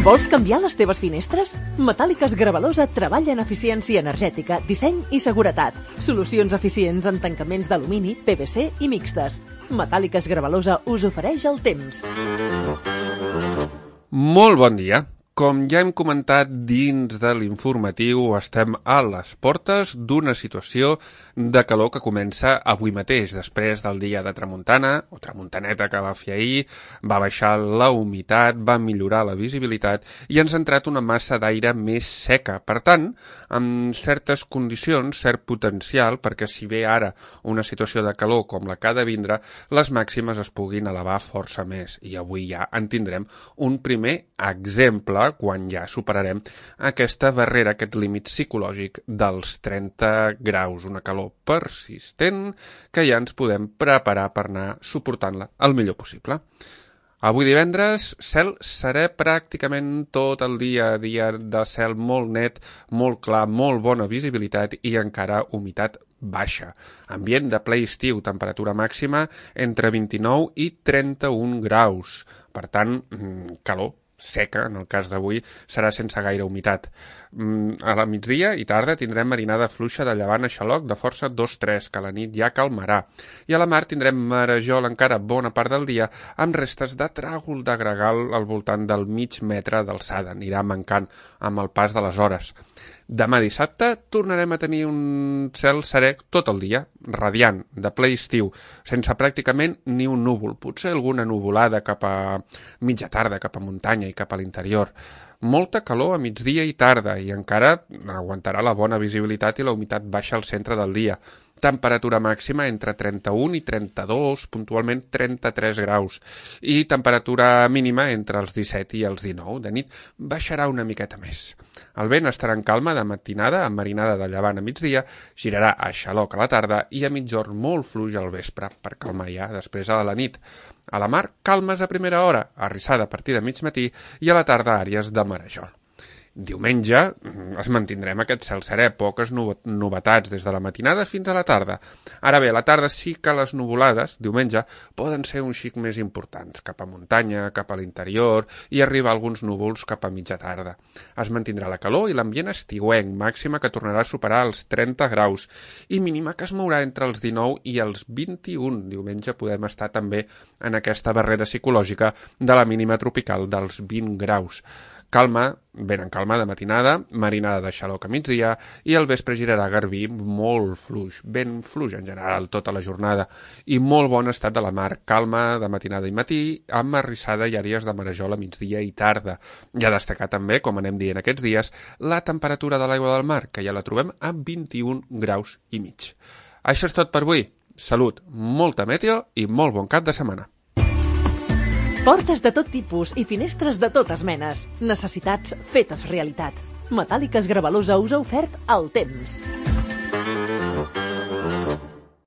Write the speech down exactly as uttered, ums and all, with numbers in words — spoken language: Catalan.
Vols canviar les teves finestres? Metàl·liques Gravalosa treballa en eficiència energètica, disseny i seguretat. Solucions eficients en tancaments d'alumini, P V C i mixtes. Metàl·liques Gravalosa us ofereix el temps. Molt bon dia. Com ja hem comentat dins de l'informatiu, estem a les portes d'una situació de calor que comença avui mateix, després del dia de tramuntana, o tramuntaneta que va fer ahir, va baixar la humitat, va millorar la visibilitat i ens ha entrat una massa d'aire més seca. Per tant, amb certes condicions, cert potencial, perquè si ve ara una situació de calor com la que ha de vindre, les màximes es puguin elevar força més. I avui ja en tindrem un primer exemple quan ja superarem aquesta barrera, aquest límit psicològic dels trenta graus, una calor persistent que ja ens podem preparar per anar suportant-la el millor possible. Avui divendres, cel serè pràcticament tot el dia, dia de cel molt net, molt clar, molt bona visibilitat i encara humitat baixa. Ambient de ple estiu, temperatura màxima entre vint-i-nou i trenta-un graus. Per tant, calor seca, en el cas d'avui, serà sense gaire humitat. A la migdia i tarda tindrem marinada fluixa de llevant a xaloc de força dos tres, que a la nit ja calmarà. I a la mar tindrem marejol encara bona part del dia, amb restes de tràgol de gregal al voltant del mig metre d'alçada. Anirà mancant amb el pas de les hores. Demà dissabte tornarem a tenir un cel serè tot el dia, radiant, de ple estiu, sense pràcticament ni un núvol, potser alguna nuvolada cap a mitja tarda, cap a muntanya i cap a l'interior. Molta calor a migdia i tarda i encara aguantarà la bona visibilitat i la humitat baixa al centre del dia. Temperatura màxima entre trenta-un i trenta-dos, puntualment trenta-tres graus, i temperatura mínima entre els disset i els dinou. De nit baixarà una miqueta més. El vent estarà en calma de matinada, amb marinada de llevant a migdia, girarà a xaloc a la tarda i a migjorn molt fluix al vespre, per calmar ja després a la nit. A la mar, calmes a primera hora, arrissada a partir de mig matí, i a la tarda àrees de marejol. Diumenge es mantindrem aquest cel serè, poques novetats des de la matinada fins a la tarda. Ara bé, a la tarda sí que les nuvolades, diumenge, poden ser un xic més importants, cap a muntanya, cap a l'interior, i arribar alguns núvols cap a mitja tarda. Es mantindrà la calor i l'ambient estiuenc, màxima que tornarà a superar els trenta graus, i mínima que es mourà entre els dinou i els vint-i-un. Diumenge podem estar també en aquesta barrera psicològica de la mínima tropical dels vint graus. Calma, ben en calma de matinada, marinada de xaloc a migdia i al vespre girarà garbí molt fluix, ben fluix en general tota la jornada i molt bon estat de la mar, calma de matinada i matí, amb arrissada i àrees de marejol a migdia i tarda. I a destacar també, com anem dient aquests dies, la temperatura de l'aigua del mar, que ja la trobem a vint-i-un graus i mig. Això és tot per avui. Salut, molta meteo i molt bon cap de setmana. Portes de tot tipus i finestres de totes menes. Necessitats fetes realitat. Metàl·liques Gravalosa us ha ofert el temps.